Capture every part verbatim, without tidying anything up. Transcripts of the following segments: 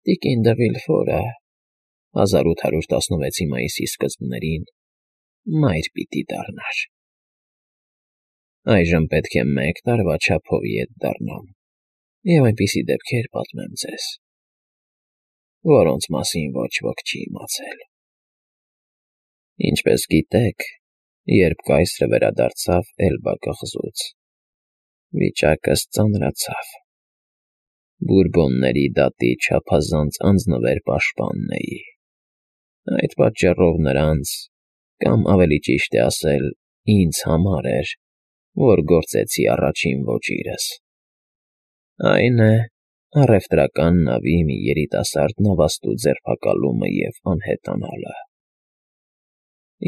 Տիկին դը Վիլֆորը հազար ութ հարյուր տասնվեցի մայիսի սկզբներին մայր պիտի դառնար. այժմ պետք է մեկ տարվա չափով ետ դառնամ և այնպիսի դեպքեր պատմեմ ձեզ, որոնց մասին ոչ ոք չի իմացել։ Ինչպես գիտեք, երբ կայսրը վերադարձավ Էլբա կղզուց, վիճակս ծանրացավ. Բուրբոնների դատի չափազանց անձնվեր պաշտպանն էի, այդ պատճառով նրանց, կամ ավելի ճիշտ է ասել, ինձ համար էր, որ գործեցի առաջին ոճիրս, այն է, առևտրական նավի մի երիտասարդ նավաստու ձերբակալումը և անհետանալը։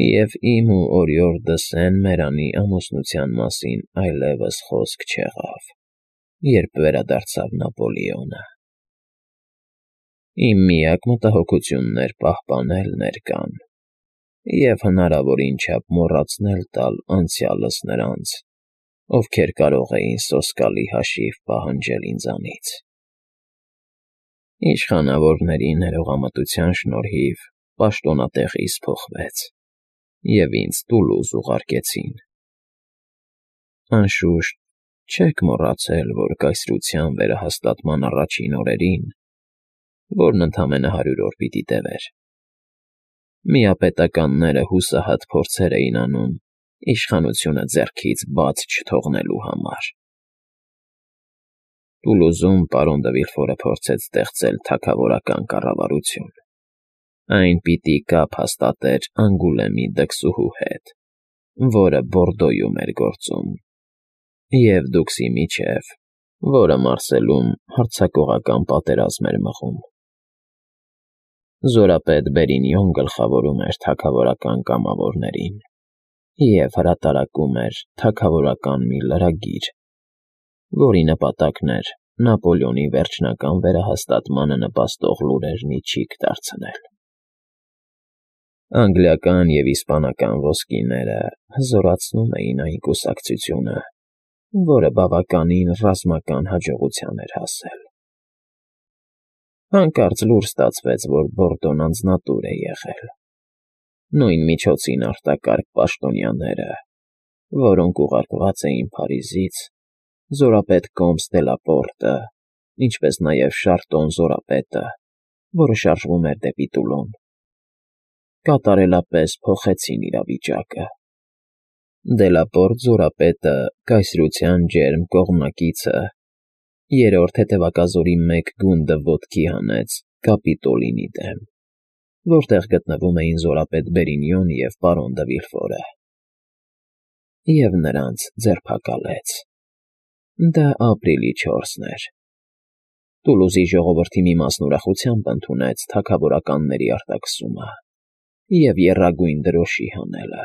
Եվ իմ ու օրիորդը Սեն֊Մերանի ամուսնության մասին այլևս խոսք չեղավ, երբ վերադարձավ Նապոլեոնը։ Իմ միակ մտահոգությունն էր պահպանել ներկան և հնարավորին չափ մոռացնել տալ անցյալս նրանց, ովքեր կարող էին սոսկալի հաշիվ պահանջել ինձանից։ Իշխանավորների ներողամտության շնորհիվ պաշտոնատեղիս փոխվեց, և ինձ Տուլուզ ուղարկեցին։ Անշուշտ, չեք մոռացել, որ կայսրության վերահաստատման առաջին օրերին, որն ընդամենը հարյուր օր պիտի տևեր, միապետականները հուսահատ փորձեր էին անում իշխանությունը ձեռքից բաց չթողնելու համար։ Տուլուզում պարոն դը Վիլֆորը փորձեց ստեղծել թագավորական կառավարություն. այն պիտի կապ հաստատեր Անգուլեմի դքսուհու հետ, որը Բորդոյում էր գործում, և Դուքսի միջև, որը Մարսելում հարձակողական պատերազմ էր մղում։ Զորապետ Բերինիոն գլխավորում էր թագավորական կամավորներին և հրատարակում էր թագավորական մի լրագիր, որի նպատակն էր Նապոլեոնի վերջնական վերահաստատմանը նպաստող լուրեր մի ճիգ դարձնել։ Անգլիական և իսպանական ոսկիները հզորացնում էին այն կուսակցությունը, որը բավականին ռազմական հաջողության էր հասել։ Հանկարծ լուր ստացվեց, որ Բորդոն անձնատուր է եղել։ Նույն միջոցին արտակարգ պաշտոնյաները, որոնք ուղարկված էին Փարիզից, զորապետ Կոմս դե Լապորտը, ինչպես նաև Շարտոն զորապետը, որը շարժվում էր դեպի Տուլոն, կատարելապես փոխեցին իրավիճակը։ Դելապորտ զորապետը, կայսրության ջերմ կողմնակիցը, երրորդ հետևակազորի մեկ գունդը ոտքի հանեց Կապիտոլինի դեմ, որտեղ գտնվում էին զորապետ Բերինիոն և պարոն դը Վիլֆորը, և նրանց ձերբակալեց։ Դա ապրիլի չորսն էր։ Տուլուզի ժողովրդի մի մասն ուրախությամբ ընդունեց թագավորականների արտաքսումը և եռագույն դրոշի հանելը։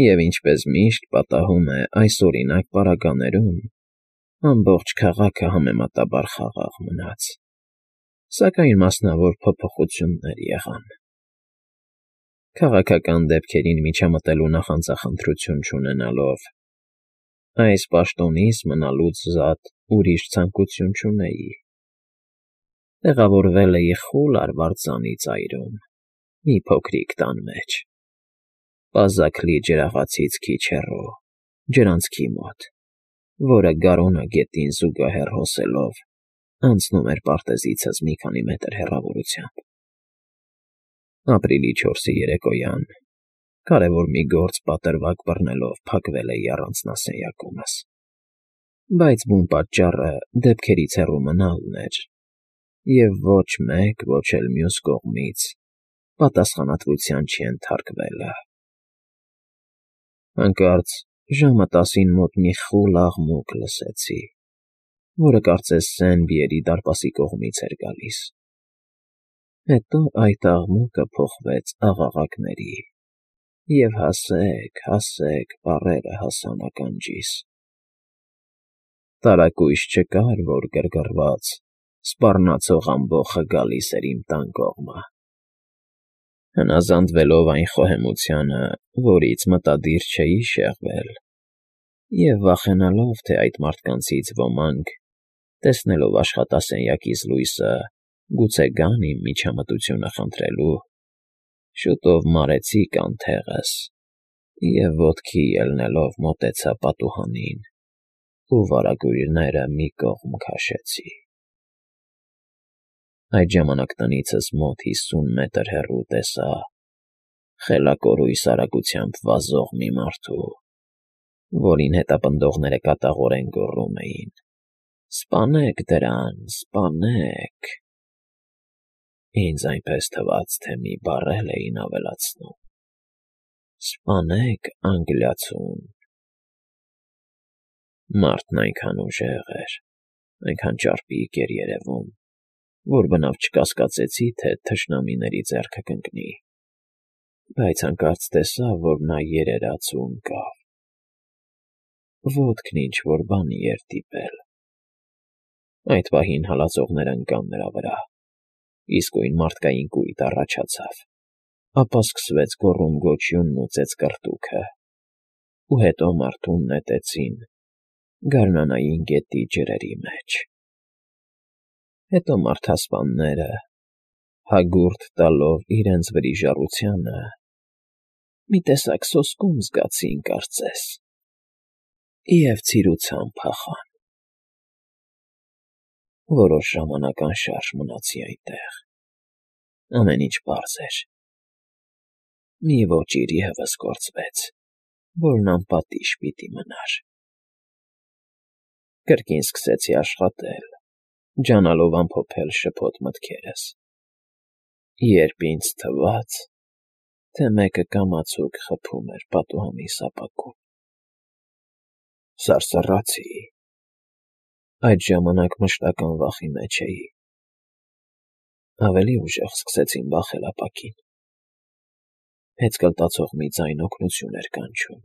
Եվ ինչպես միշտ պատահում է այսօրինակ պարագաներում, ամբողջ քաղաքը համեմատաբար խաղաղ մնաց, սակայն մասնավոր փոփոխություններ եղան։ Քաղաքական դեպքերին միջամտելու նախանձախնդրություն չունենալով, այս պաշտոնիս մնալուց զատ ուրիշ ցանկություն չունեի։ Տեղավորվել էի խուլ արվարձանի ծայրում, մի փոքրիկ տան մեջ, պազակլի ջրաղացից քիչ հեռու, ջրանցքի մոտ, որը Գարոնա գետին զուգահեռ հոսելով անցնում էր պարտեզիցս մի քանի մետր հեռավորությամբ։ Ապրիլի չորսի երեկոյան կարևոր մի գործ պատրվակ բռնելով փակվել էի առանձնասենյակումս, բայց բուն պատճառը դեպքերից հեռու մնալն էր, և ոչ մեկ, ոչ էլ մյուս կողմից պատասխանատվության չենթարկվելը։ Հանկարծ ժամը տասին մոտ մի խուլ աղմուկ լսեցի, որը կարծես Սեն֊Պիերի դարպասի կողմից էր գալիս։ Հետո այդ աղմուկը փոխվեց աղաղակների, և հասեք֊հասեք բառերը հասան ականջիս։ Տարակույս չկար, որ գրգռված, սպառնացող ամբոխը գալիս էր իմ տան կողմը։ Հնազանդվելով այն խոհեմությանը, որից մտադիր չէի շեղվել, և վախենալով, թե այդ մարդկանցից ոմանք, տեսնելով աշխատասենյակիս լույսը, Գուցե գան իմ միջամտությունը խնդրելու, շուտով մարեցի կանթեղս և ոտքի ելնելով մոտեցա պատուհանին ու վարագույրները մի կողմ քաշեցի։ Այդ ժամանակ տնիցս մոտ հիսուն մետր հեռու տեսա խելակորույս արագությամբ վազող մի մարդու, որին հետապնդողները կատաղորեն գոռում էին. «Սպանեք դրան, սպանեք»։ Ինձ այնպես թվաց, թե մի բառ էլ էին ավելացնում. «Սպանեք անգլիացուն»։ Մարդն այնքան ուժեղ էր, այնքան ճարպիկ էր երևում, որ բնավ չկասկածեցի, թե թշնամիների ձեռքը կընկնի, բայց հանկարծ տեսա, որ նա երերաց ու ընկավ։ Ոտքն ինչ-որ բանի էր դիպել։ Այդ պահին հալածողներն ընկան նրա վրա, իսկույն մարդկային կույտ առաջացավ, ապա սկսվեց գոռում-գոչյունն ու ծեծկռտուքը, ու հետո մարդուն նետեցին գարնանային գետի ջրերի մեջ։ Հետո մարդասպանները, հագուրդ տալով իրենց վրիժառությանը, մի տեսակ սոսկում զգացին, կարծես, և ցիրուցան փախան։ Որոշ ժամանակ անշարժ մնացի այնտեղ, ամեն ինչ պարզ էր։ Մի ոճիր ևս գործվեց, որն անպատիժ պիտի մնար։ Կրկին սկսեցի աշխատել, ջանալով ամփոփել շփոթ մտքերս, երբ ինձ թվաց, թե մեկը կամացուկ խփում էր պատուհանի սապակում։ Սարսռացի։ Այդ ժամանակ մշտական վախի մեջ էի։ Ավելի ուժեղ սկսեցին վախել ապակին։ Հեծկլտացող մի ձայն օգնություն էր կանչում։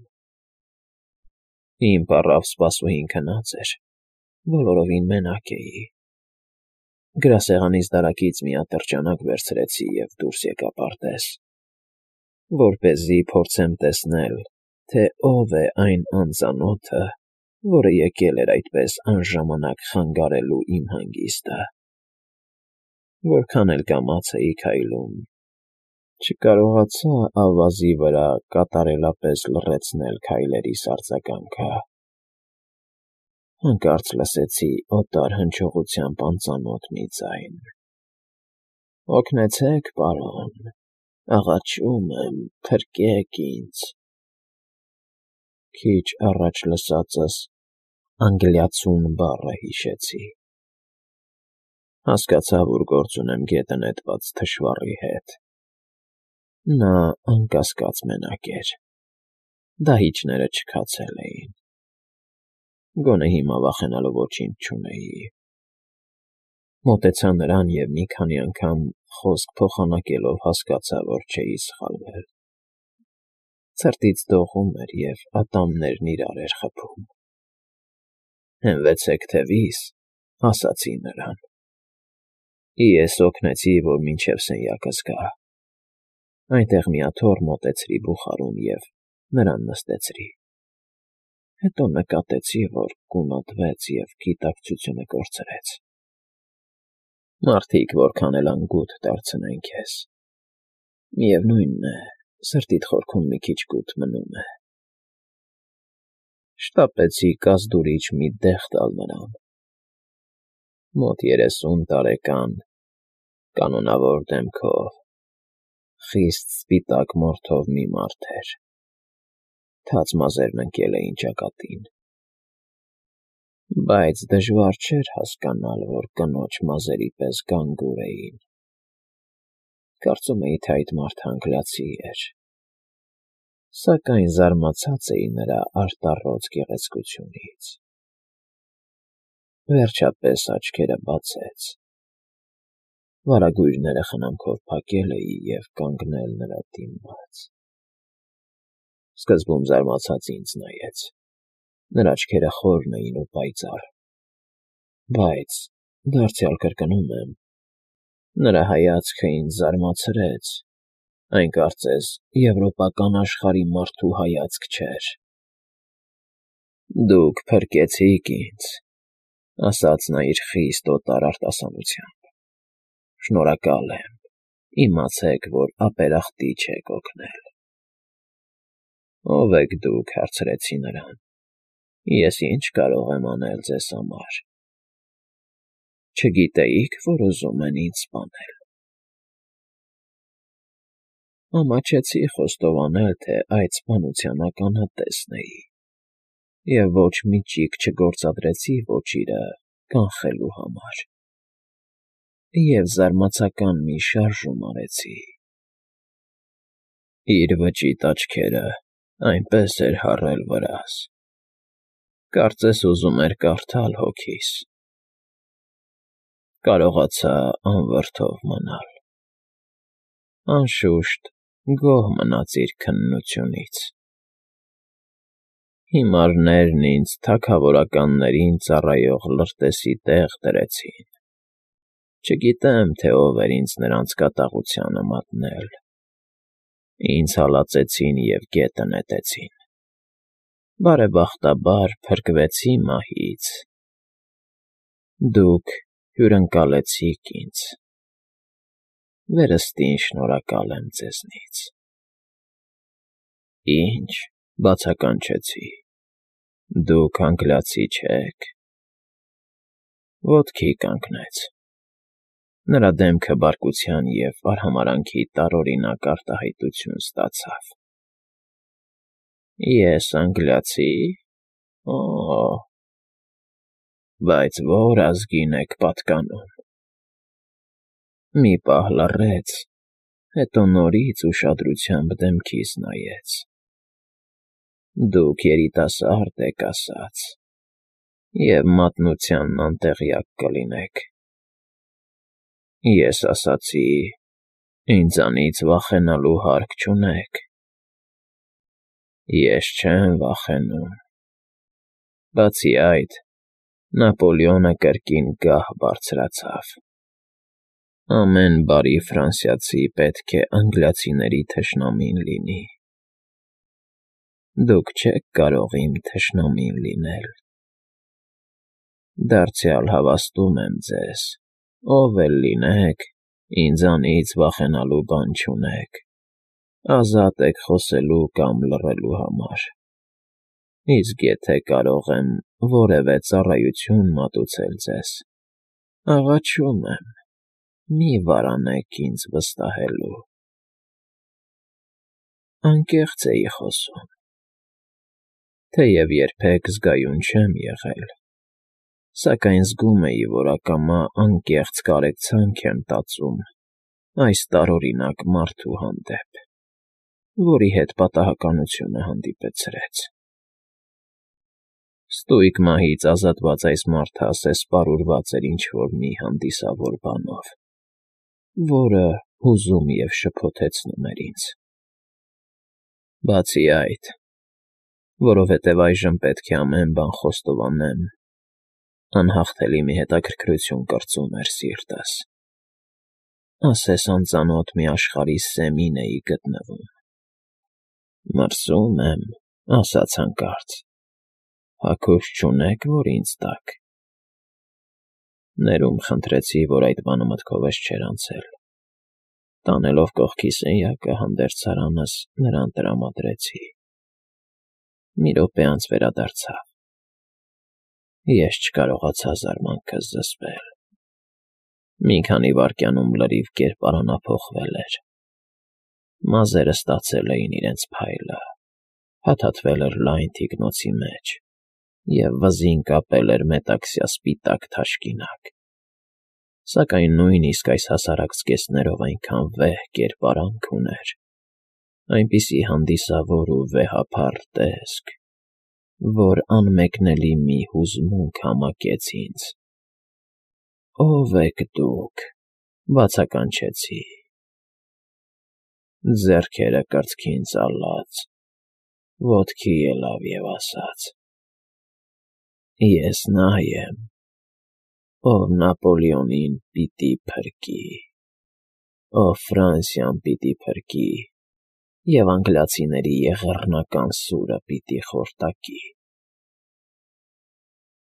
Իմ պառավ սպասուհին քնած էր, բոլորովին մենակ էի։ Գրասեղանիս դարակից մի ատրճանակ վերցրեցի և դուրս եկա պարտեզ, որպեսզի փորձեմ տեսնել, թե ով է այն անծանոթը, որը եկել էր այդպես անժամանակ խանգարելու իմ հանգիստը։ Որքան էլ կամաց էի քայլում, չկարողացա ավազի վրա կատարելապես լռեցնել քայլերիս արձագանքը։ Հանկարծ լսեցի օտար հնչողությամբ անծանոթ մի ձայն. «Օգնեցե՛ք, պարոն, աղաչում եմ, փրկեք ինձ»։ Քիչ առաջ լսածս «անգլիացուն» բառը հիշեցի։ Հասկացա, որ գործ ունեմ գետը նետված թշվառի հետ։ Նա անկասկած մենակ էր, դահիճները չքացել էին։ Գոնե հիմա վախենալու ոչինչ չունեի։ Մոտեցա նրան և մի քանի անգամ խոսք փոխանակելով հասկացա, որ չէի սխալվել։ Ցրտից դողում էր և ատամներն իրար էր խփում։ «Հենվեցեք թևիս», ասացի նրան։ Ես օգնեցի, որ մինչև սենյակս գա։ Այնտեղ մի աթոռ մոտեցրի բուխարուն և նրան նստեցրի։ Հետո նկատեցի, որ գունատվեց և գիտակցությունը կորցրեց։ Մարդիկ որքան էլ անգութ դարձնեն քեզ, միևնույնն է, սրտիդ խորքում մի քիչ կուտ մնում է։ Շտապեցի կազդուրիչ մի դեղ տալ նրան։ Մոտ երեսուն տարեկան, կանոնավոր դեմքով, խիստ սպիտակ մորթով մի մարդ էր։ Թաց մազերն ընկել էին ճակատին։ Բայց դժվար չէր հասկանալ, որ կնոջ մազերի պես գանգուր էին։ Կարծում էի, թե այդ մարդը անգլիացի էր, սակայն զարմացած էի նրա արտառոց գեղեցկությունից։ Վերջապես աչքերը բացեց։ Վարագույրները խնամքով փակել էի և կանգնել նրա դիմաց։ Սկզբում զարմացած ինձ նայեց։ Նրա աչքերը խորն էին ու պայծառ, բայց, դարձյալ կրկնում եմ, նրա հայացքը ինձ զարմացրեց, այն կարծես եվրոպական աշխարհի մարդու հայացք չէր։ «Դուք փրկեցիք ինձ», ասաց նա իր խիստ օտար արտասանությամբ։ Շնորհակալ եմ, իմացեք, որ ապերախտի չեք օգնել։ Ո՞վ եք դուք, հարցրեցի նրան, ես ինչ կարող եմ անել ձեզ համար։ Չգիտեիք, որ ուզում են ինձ սպանել։ Ամաչեցի խոստովանել, թե այդ սպանության ականատեսն էի, և ոչ մի ճիգ չգործադրեցի ոչիրը կանխելու համար, և զարմացական մի շարժում արեցի։ Իր վճիտ աչքերը այնպես էր հառել վրաս, կարծես ուզում էր կարդալ հոգիս։ Կարողացա անվրդով մնալ։ Անշուշտ, գոհ մնաց իր քննությունից։ Հիմարներն ինձ թագավորականներին ծառայող լրտեսի տեղ դրեցին։ Չգիտեմ, թե ով էր ինձ նրանց կատաղությանը մատնել։ Ինձ հալածեցին և գետը նետեցին։ Բարեբախտաբար փրկվեցի մահից։ Դուք հյուրընկալեցիք ինձ։ Վերստին շնորհակալ եմ ձեզնից։ Ի՞նչ, բացականչեցի, դուք անգլիացի չեք։ Ոտքի կանգնեց։ Նրա դեմքը բարկության և արհամարհանքի տարօրինակ արտահայտություն ստացավ։ Ես անգլիացի՞։ Օ՜, բայց ո՞ր ազգին եք պատկանում։ Մի պահ լռեց, հետո նորից ուշադրությամբ դեմքիս նայեց։ Դուք երիտասարդ եք ասաց, և մատնությանն անտեղյակ կլինեք։ Ես ասացի. ինձանից վախենալու հարկ չունեք։ Ես չեմ վախենում։ Բացի այդ, Նապոլեոնը կրկին գահ բարձրացավ։ Ամեն բարի ֆրանսիացի պետք է անգլիացիների թշնամին լինի։ Դուք չեք կարող իմ թշնամին լինել։ Դարձյալ հավաստում եմ ձեզ, ով էլ լինեք, ինձանից վախենալու բան չունեք, ազատ եք խոսելու կամ լռելու համար։ Իսկ եթե կարող եմ որևէ ծառայություն մատուցել ձեզ, աղաչում եմ, մի վարանեք ինձ վստահելու։ Անկեղծ էի խոսում, թեև երբեք զգայուն չեմ եղել, սակայն զգում էի, որ ակամա անկեղծ կարեկցանք եմ տածում այս տարօրինակ մարդու հանդեպ, որի հետ պատահականությունը հանդիպեցրեց։ Ստույգ մահից ազատված այս մարդը ասես պարուրված էր ինչ֊որ մի հանդիսավոր բանով, որը հուզում և շփոթեցնում էր ինձ։ Բացի այդ, որովհետև այժմ պետք է ամեն բան խոստովանեմ, անհաղթելի մի հետաքրքրություն կրծում էր սիրտս, ասես անծանոթ մի աշխարհի սեմին էի գտնվում։ Մրսում եմ, ասաց հանկարծ, հագուստ չունե՞ք, որ ինձ տաք։ Ներում խնդրեցի, որ այդ բանը մտքովս չէր անցել։ Տանելով կողքի սենյակը հանդերձարանս նրան տրամադրեցի։ Մի րոպե անց վերադարձավ։ Ես չկարողացա զարմանքս զսպել։ Մի քանի վայրկյանում լրիվ կերպարանափոխվել էր։ Մազերը ստացել էին իրենց փայլը, փաթաթվել էր լայն թիկնոցի մեջ և վզին կապել էր մետաքսյա սպիտակ թաշկինակ, սակայն նույնիսկ այս հասարակ զգեստներով այնքան վեհ կերպարանք ուներ, այնպիսի հանդիսավոր ու վեհափառ տեսք, որ անմեկնելի մի հուզմունք համակեց ինձ։ Ո՞վ եք դուք, բացականչեցի։ Ձեռքերը կրծքին ծալած, ոտքի ելավ և ասաց. Ես նա եմ, ով Նապոլեոնին պիտի փրկի, ով Ֆրանսիան պիտի փրկի և անգլիացիների եղեռնական սուրը պիտի խորտակի։